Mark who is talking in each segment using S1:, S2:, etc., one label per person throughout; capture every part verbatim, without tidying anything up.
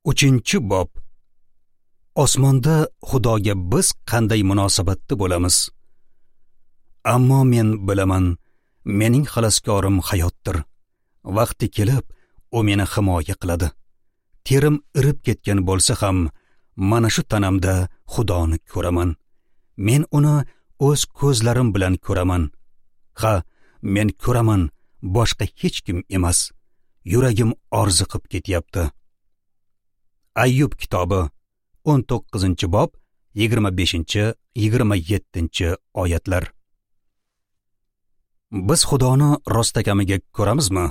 S1: Uchinchi bob. Osmonda Xudoga biz qanday munosabatda bo'lamiz? Ammo men bilaman, mening xaloskorim hayotdir. Vaqti kelib, u meni himoya qiladi. Terim irib ketgan bo'lsa ham, mana shu tanamda Xudoni ko'raman. Men uni o'z ko'zlarim bilan ko'raman. Ha, men ko'raman, boshqa hech kim emas. Yuragim orziqib ketyapti. Ayyub kitobi o'n to'qqizinchi bob yigirma beshinchi yigirma yettinchi oyatlar. Biz Xudoni rostakamiga ko'ramizmi?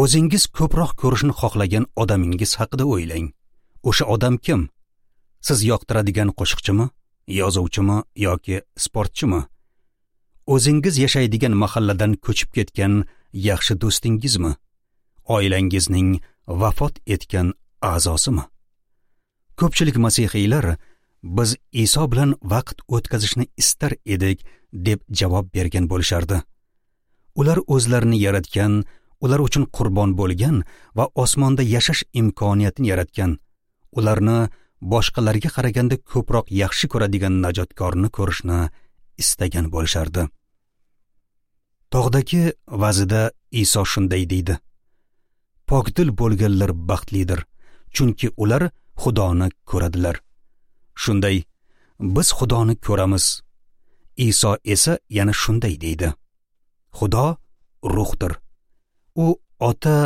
S1: O'zingiz ko'proq ko'rishni xohlagan odamingiz haqida o'ylang. O'sha odam kim? Siz yoqtiradigan qo'shiqchimi, yozuvchimi yoki sportchimi? O'zingiz yashaydigan mahalladan ko'chib ketgan yaxshi do'stingizmi? Oilangizning vafot etgan a'zosimi? Ko'pchilik masihiylar biz Iso bilan vaqt o'tkazishni istar edik deb javob bergan bo'lishardi. Ular o'zlarini yaratgan, ular uchun qurbon bo'lgan va osmonda yashash imkoniyatini yaratgan, ularni boshqalarga qaraganda ko'proq yaxshi ko'radigan najotkorni ko'rishni istagan bo'lishardi. Tog'dagi vazida Iso shunday deydi: Pokdil bo'lganlar baxtlidir, chunki ular Xudoni ko'radilar. Shunday, biz Xudoni ko'ramiz. Iso esa yana shunday deydi: Xudo ruhdir. U ota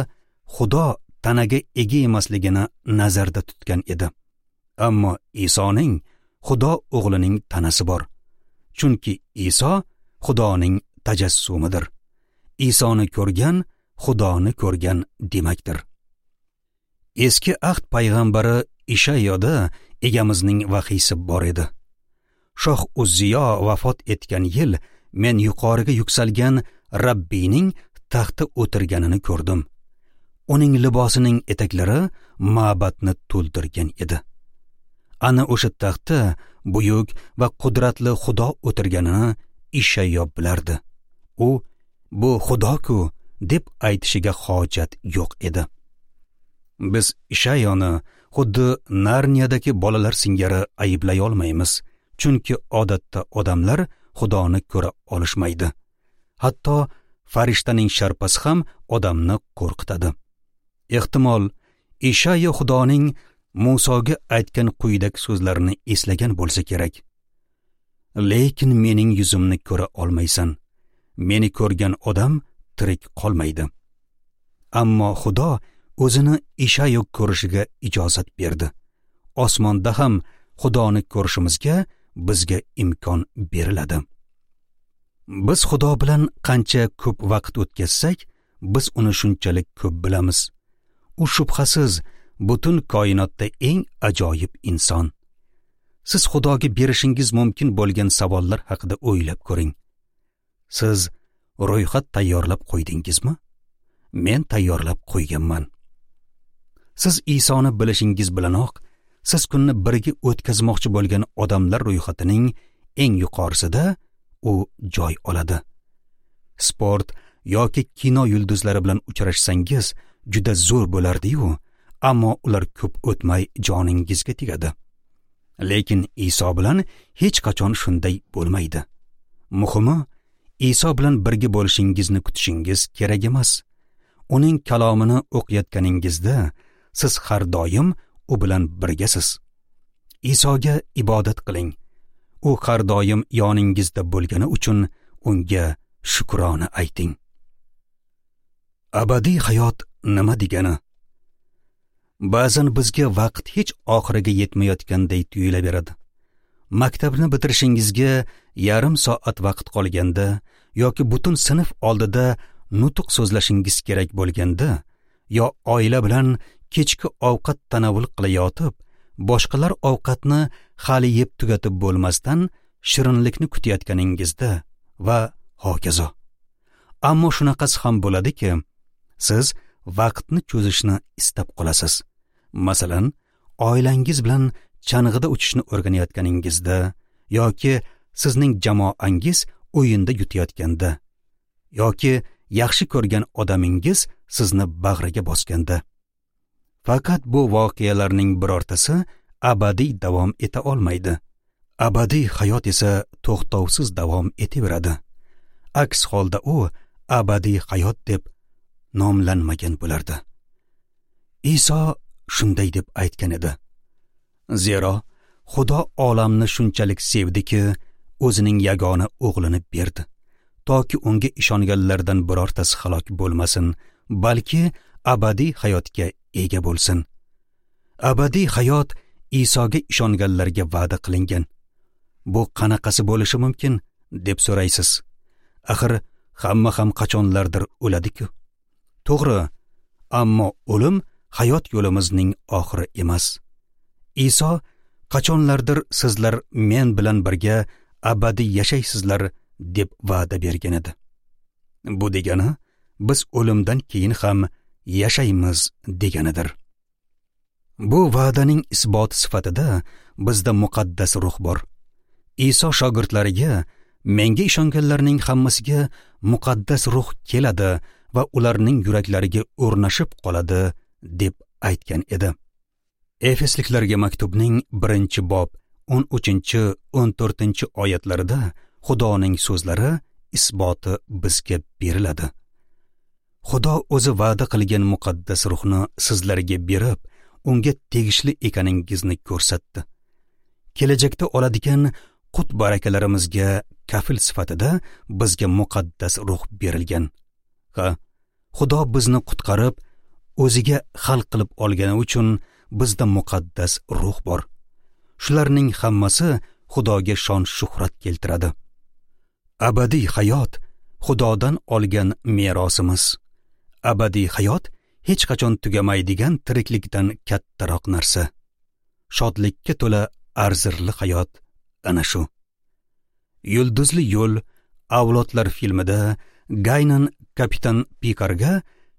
S1: Xudo tanaga ega emasligini nazarda tutgan edi. Ammo Isoning Xudo o'g'lining tanasi bor. Chunki Iso Xudoning tajassumidir. Isoni ko'rgan Xudoni ko'rgan demakdir. Eski ahd payg'ambari Ishayoda egamizning vahiysi bor edi. Shoh Uzziyo vafot etgan yil men yuqoriga yuksalgan Rabbiyning taxtda o'tirganini ko'rdim. Uning libosining etaklari ma'batni to'ldirgan edi. Ana o'sha taxtda buyuk va qudratli Xudo o'tirganini Ishayo bilardi. U bu Xudo-ku deb aytishiga hojat yo'q edi. Biz Ishayoni xuddi Narniyadagi bolalar singari ayblay olmaymiz, chunki odatda odamlar Xudoni ko'ra olishmaydi. Hatto farishtaning sharpasi ham odamni qo'rqitadi. Ehtimol Ishayo Xudoning Musoga aytgan quyidagi so'zlarini eslagan bo'lsa kerak. Lekin mening yuzimni ko'ra olmaysan. Meni ko'rgan odam tirik qolmaydi. Ammo Xudo o'zini Ishayo ko'rishiga ijozat berdi. Osmonda ham Xudoni ko'rishimizga bizga imkon beriladi. Biz Xudo bilan qancha ko'p vaqt o'tkazsak, biz uni shunchalik ko'p bilamiz. U shubhasiz butun koinotda eng ajoyib inson. Siz Xudoga berishingiz mumkin bo'lgan savollar haqida o'ylab ko'ring. Siz ro'yxat tayyorlab qo'ydingizmi? Men tayyorlab qo'yganman. Siz Isoni bilishingiz bilanoq, siz kunni birga o'tkazmoqchi bo'lgan odamlar ro'yxatining eng yuqorisida u joy oladi. Sport yoki kino yulduzlari bilan uchrashsangiz juda zo'r bo'lardi-yu, ammo ular ko'p o'tmay joningizga tegadi. Lekin Iso bilan hech qachon shunday bo'lmaydi. Muhimi, Iso bilan birga bo'lishingizni kutishingiz kerak emas. Uning kalomini o'qiyotganingizda siz har doim u bilan birgasiz. Isoga ibodat qiling. U har doim yoningizda bo'lgani uchun unga shukrona ayting. Abadiy hayot nima degani? Ba'zan bizga vaqt hech oxiriga yetmayotganday tuyulaveradi. Maktabni bitirishingizga yarim soat vaqt qolganda yoki butun sinf oldida nutq so'zlashingiz kerak bo'lganda, yo oila bilan kechki ovqat tanovul qilayotib, boshqalar ovqatni hali yeb tugatib bo'lmasdan shirinlikni kutayotganingizda va hokazo. Ammo shunaqasi ham bo'ladiki, siz vaqtni cho'zishni istab qolasiz. Masalan, oilangiz bilan chang'ida uchishni o'rganayotganingizda yoki sizning jamoangiz o'yinda yutayotganda yoki yaxshi ko'rgan odamingiz sizni bag'riga bosganda. Faqat bu voqealarning birortasi abadiy davom eta olmaydi. Abadiy hayot esa to'xtovsiz davom etaveradi. Aks holda u abadiy hayot deb nomlanmagan bo'lardi. Iso shunday deb aytgan edi: Zero Xudo olamni shunchalik sevdiki, o'zining yagona o'g'lini berdi, toki unga ishonganlardan birortasi halok bo'lmasin, balki abadiy hayotga ega bo'lsin. Abadiy hayot Isoga ishonganlarga va'da qilingan. Bu qanaqasi bo'lishi mumkin deb so'raysiz. Axir hamma ham qachonlardir o'ladi-ku. To'g'ri, ammo o'lim hayot yo'limizning oxiri emas. Iso qachonlardir sizlar men bilan birga abadiy yashaysizlar deb va'da bergan edi. Bu degani biz o'limdan keyin ham yashaymiz deganidir. Bu va'daning isboti sifatida bizda muqaddas ruh bor. Iso shogirdlariga menga ishonganlarning hammasiga muqaddas ruh keladi va ularning yuraklariga o'rnashib qoladi deb aytgan edi. Efesliklarga maktubning birinchi bob o'n uchinchi o'n to'rtinchi oyatlarida Xudoning so'zlari isboti bizga beriladi. Xudo o'zi va'da qilgan muqaddas ruhni sizlarga berib, unga tegishli ekaningizni ko'rsatdi. Kelajakda oladigan qut barakalarimizga kafil sifatida bizga muqaddas ruh berilgan. Ha, Xudo bizni qutqarib, o'ziga hal qilib olgani uchun bizda muqaddas ruh bor. Shularning hammasi Xudoga shon shuhrat keltiradi. Abadiy hayot Xudodan olgan merosimiz. Abadiy hayot hech qachon tugamaydigan tiriklikdan kattaroq narsa. Shodlikka to'la arzirli hayot ana shu. Yulduzli yo'l avlodlar filmida Gaynan kapitan Pikarga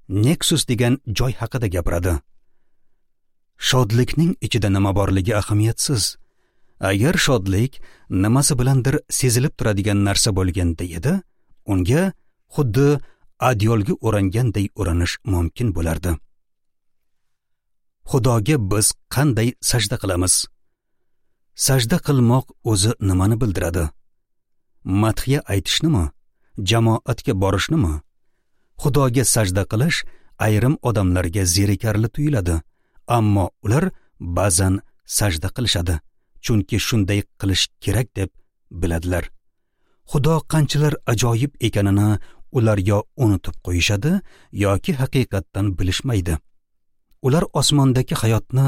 S1: Nexus degan joy haqida gapiradi. Shodlikning ichida nima borligi ahamiyatsiz. Agar shodlik nimasi bilandir sezilib turadigan narsa bo'lganda edi, unga xuddi adyolga o'ranganday o'ranish mumkin bo'lardi. Xudoga biz qanday sajda qilamiz? Sajda qilmoq o'zi nimani bildiradi? Madhiya aytishnimi? Jamoatga borishnimi? Xudoga sajda qilish ayrim odamlarga zerikarli tuyuladi, ammo ular ba'zan sajda qilishadi, chunki shunday qilish kerak deb biladilar. Xudo qanchalar ajoyib ekanini ular yo unutib qo'yishadi yoki haqiqatdan bilishmaydi. Ular osmondagi hayotni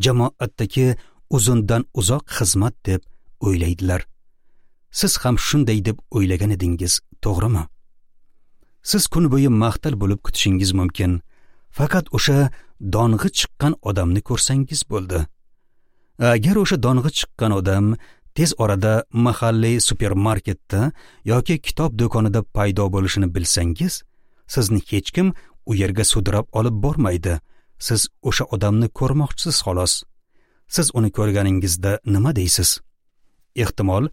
S1: jamoatdagi uzundan uzoq xizmat deb o'ylaydilar. Siz ham shunday deb o'ylagan edingiz, to'g'rimi? Siz kun bo'yi mahtal bo'lib kutishingiz mumkin. Faqat o'sha dong'i chiqqan odamni ko'rsangiz bo'ldi. Agar o'sha dong'i chiqqan odam tez orada mahalliy supermarketda yoki kitob do'konida paydo bo'lishini bilsangiz, sizni hech kim u yerga sudrab olib bormaydi. Siz o'sha odamni ko'rmoqchisiz xolos. Siz uni ko'rganingizda nima deysiz? Ehtimol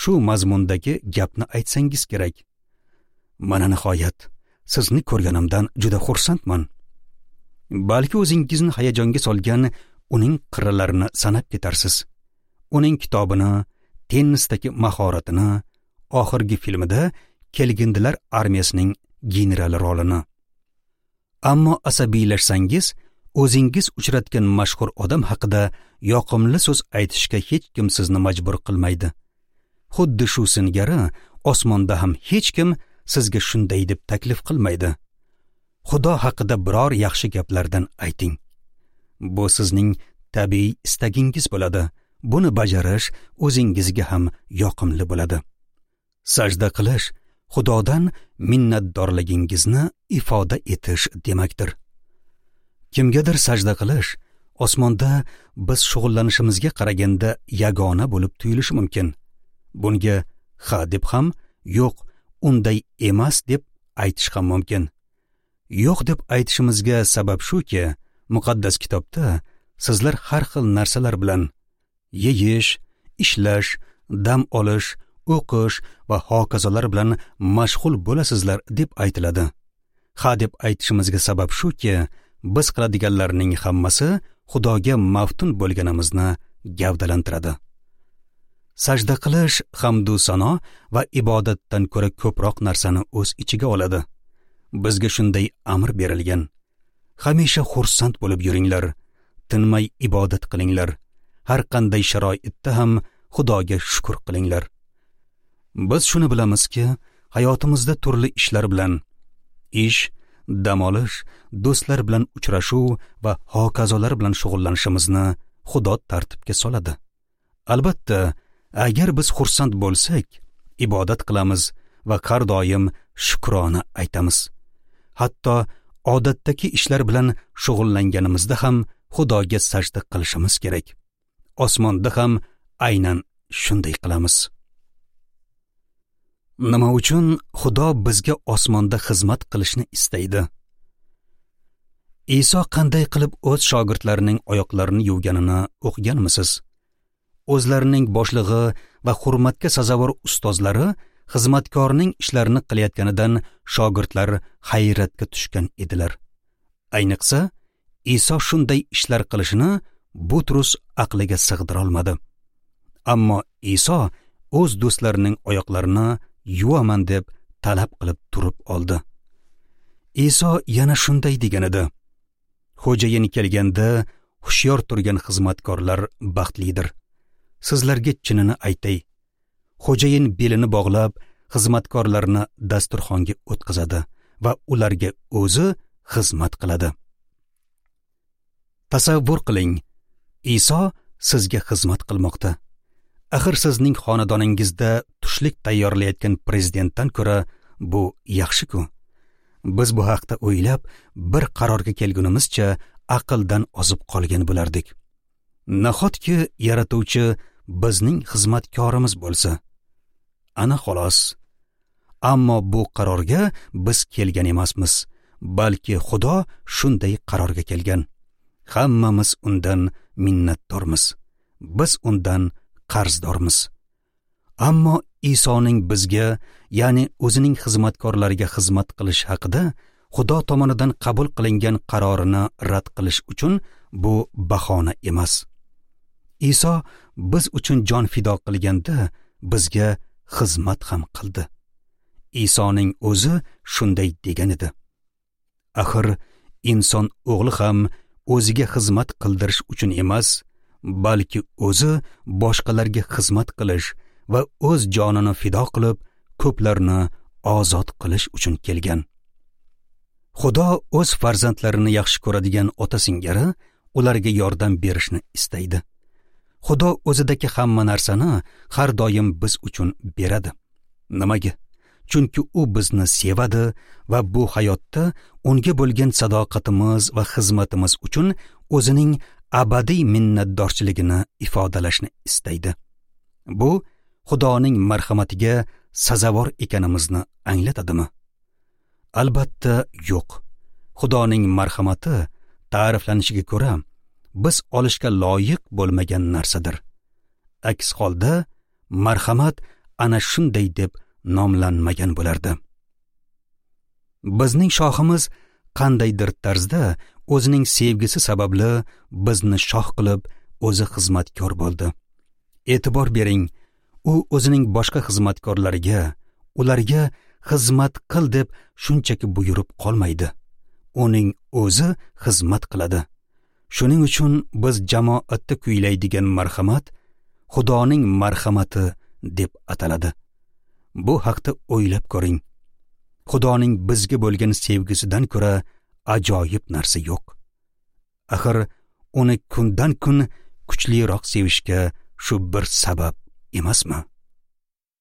S1: shu mazmundagi gapni aytsangiz kerak. Mana nihoyat, sizni ko'rganimdan juda xursandman. Balki o'zingizni hayajonga solgan uning qirralarini sanab ketarsiz. Uning kitobini, tennisdagi mahoratini, oxirgi filmida kelgindilar armiyasining generali rolini. Ammo asabiylashsangiz, o'zingiz uchratgan mashhur odam haqida yoqimli so'z aytishga hech kim sizni majbur qilmaydi. Xuddi shu singari osmonda ham hech kim sizga shunday deb taklif qilmaydi. Xudo haqida biror yaxshi gaplardan ayting. Bu sizning tabiiy istagingiz bo'ladi. Buni bajarish o'zingizga ham yoqimli bo'ladi. Sajda qilish Xudodan minnatdorligingizni ifoda etish demakdir. Kimgadir sajda qilish osmonda biz shug'ullanishimizga qaraganda yagona bo'lib tuyulishi mumkin. Bunga ha deb ham, yo'q, unday emas deb aytish ham mumkin. Yo'q deb aytishimizga sabab shuki, muqaddas kitobda sizlar har xil narsalar bilan yeyish, ishlash, dam olish, o'qish va hokazolar bilan mashg'ul bo'lasizlar deb aytiladi. Ha deb aytishimizga sabab shuki, Biz qiladiganlarning hammasi Xudoga maftun bo'lganimizni gavdalantiradi. Sajda qilish hamdu sano va ibodatdan ko'ra ko'proq narsani o'z ichiga oladi. Bizga shunday amr berilgan. Hamisha xursand bo'lib yuringlar, tinmay ibodat qilinglar, har qanday sharoitda ham Xudoga shukr qilinglar. Biz shuni bilamizki, hayotimizda turli ishlar bilan, ish, dam olish, do'stlar bilan uchrashuv va hokazolar bilan shug'ullanishimizni Xudo tartibga soladi. Albatta, agar biz xursand bo'lsak, ibodat qilamiz va har doim shukrona aytamiz. Hatto odatdagi ishlar bilan shug'ullanganimizda ham Xudoga sajda qilishimiz kerak. Osmonda ham aynan shunday qilamiz. Nima uchun Xudo bizga osmonda xizmat qilishni istaydi? Iso qanday qilib o'z shogirdlarining oyoqlarini yuvganini o'qiganmisiz? O'zlarining boshlig'i va hurmatga sazovor ustozlari xizmatkorning ishlarini qilayotganidan shogirdlar hayratga tushgan edilar. Ayniqsa, Iso shunday ishlar qilishini Butrus aqliga sig'dira olmadi. Ammo Iso o'z do'stlarining oyoqlarini yuvaman deb talab qilib turib oldi. Iso yana shunday degan edi: Xo'jayin kelganda hushyor turgan xizmatkorlar baxtlidir. Sizlarga chinini aytay, xo'jayin belini bog'lab xizmatkorlarni dasturxonga o'tqizadi va ularga o'zi xizmat qiladi. Tasavvur qiling, Iso sizga xizmat qilmoqda. Axir sizning xonadoningizda tushlik tayyorlayotgan prezidentdan ko'ra bu yaxshi-ku. Biz bu haqda o'ylab, bir qarorga kelgunimizcha aqldan ozib qolgan bo'lardik. Nahotki yaratuvchi bizning xizmatkorimiz bo'lsa? Ana xolos. Ammo bu qarorga biz kelgan emasmiz, balki Xudo shunday qarorga kelgan. Hammamiz undan minnatdormiz. Biz undan qarzdormiz. Ammo Isoning bizga, ya'ni o'zining xizmatkorlariga xizmat qilish haqida Xudo tomonidan qabul qilingan qarorini rad qilish uchun bu bahona emas. Iso biz uchun jon fido qilganda bizga xizmat ham qildi. Isoning o'zi shunday degan edi. Axir inson o'g'li ham o'ziga xizmat qildirish uchun emas, balki o'zi boshqalarga xizmat qilish va o'z jonini fido qilib, ko'plarni ozod qilish uchun kelgan. Xudo o'z farzandlarini yaxshi ko'radigan ota singari ularga yordam berishni istaydi. Xudo o'zidagi hamma narsani har doim biz uchun beradi. Nimaga? Chunki u bizni sevadi va bu hayotda unga bo'lgan sadoqatimiz va xizmatimiz uchun o'zining abadiy minnatdorchiligini ifodalashni istaydi. Bu Xudoning marhamatiga sazovor ekanimizni anglatadimi? Albatta yo'q. Xudoning marhamati ta'riflanishiga ko'ra biz olishga loyiq bo'lmagan narsadir. Aks holda marhamat ana shunday deb nomlanmagan bo'lardi. Bizning shohimiz qandaydir tarzda o'zining sevgisi sababli bizni shoh qilib, o'zi xizmatkor bo'ldi. E'tibor bering, u o'zining boshqa xizmatkorlariga, ularga xizmat qil deb shunchaki buyurib qolmaydi. Uning o'zi xizmat qiladi. Shuning uchun biz jamoatda kuylaydigan marhamat Xudoning marhamati deb ataladi. Bu haqda o'ylab ko'ring. Xudoning bizga bo'lgan sevgisidan ko'ra ajoyib narsa yo'q. Axir uni kundan kun kuchliroq sevishga shu bir sabab emasmi?